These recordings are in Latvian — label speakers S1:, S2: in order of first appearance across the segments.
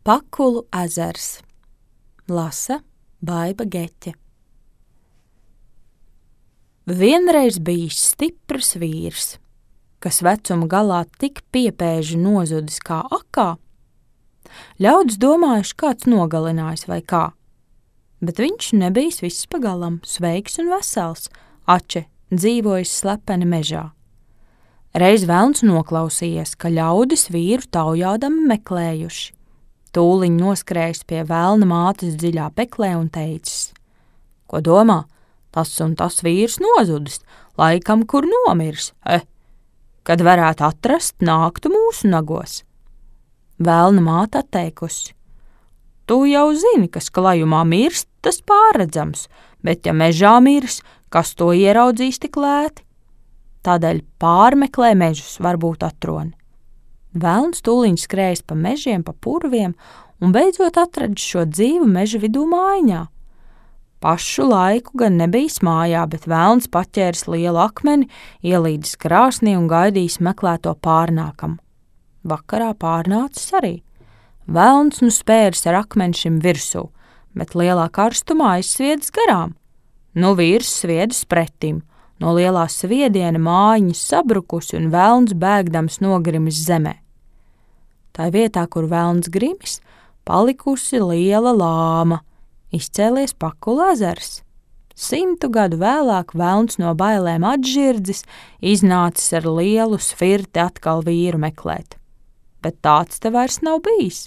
S1: Pakulu ezers. Lasa Baiba Geķe. Vienreiz bijis stiprs vīrs, kas vecuma galā tik piepēži nozudis kā akā. Ļaudis domājuši, kāds nogalinājis vai kā, bet viņš nebijis viss pagalam, sveiks un vesels, ače dzīvojis slepeni mežā. Reiz velns noklausījies, ka ļaudis vīru taujādami meklējuši. Tūliņ noskrējis pie velna mātes dziļā peklē un teicis: Ko domā, tas un tas vīrs nozudis, laikam kur nomirs, kad varētu atrast, nāktu mūsu nagos. Velna māte atteikusi: Tu jau zini, kas klajumā mirst, tas pārredzams, bet ja mežā mirs, kas to ieraudzīs tik lēti? Tādēļ pārmeklē mežus, varbūt atroni. Velns tūliņ skrējis pa mežiem, pa purviem un beidzot atradis šo dzīvu meža vidū mājiņā. Pašu laiku gan nebijis mājā, bet velns paķēris lielu akmeni, ielīdis krāsnī un gaidījis meklēto pārnākamu. Vakarā pārnācis arī. Velns nu spēris ar akmeni šim virsū, bet lielā karstumā aizsviedis garām. Nu vīrs sviedis pretim. No lielā sviediena mājiņas sabrukusi un velns bēgdams nogrimis zemē. Tā vietā, kur velns grimis, palikusi liela lāma, izcēlies Pakulu ezers. 100 gadu vēlāk velns no bailēm atžirdzis, iznācis ar lielu svirti atkal vīru meklēt. Bet tāds te vairs nav bijis.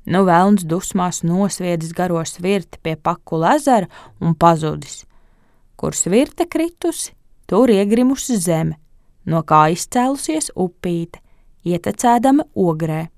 S1: Nu velns dusmās nosviedis garo svirti pie Pakulu ezera un pazudis. Kur svirte kritusi, tur iegrimusi zeme, no kā izcēlusies upīte, ietecēdama ogrē.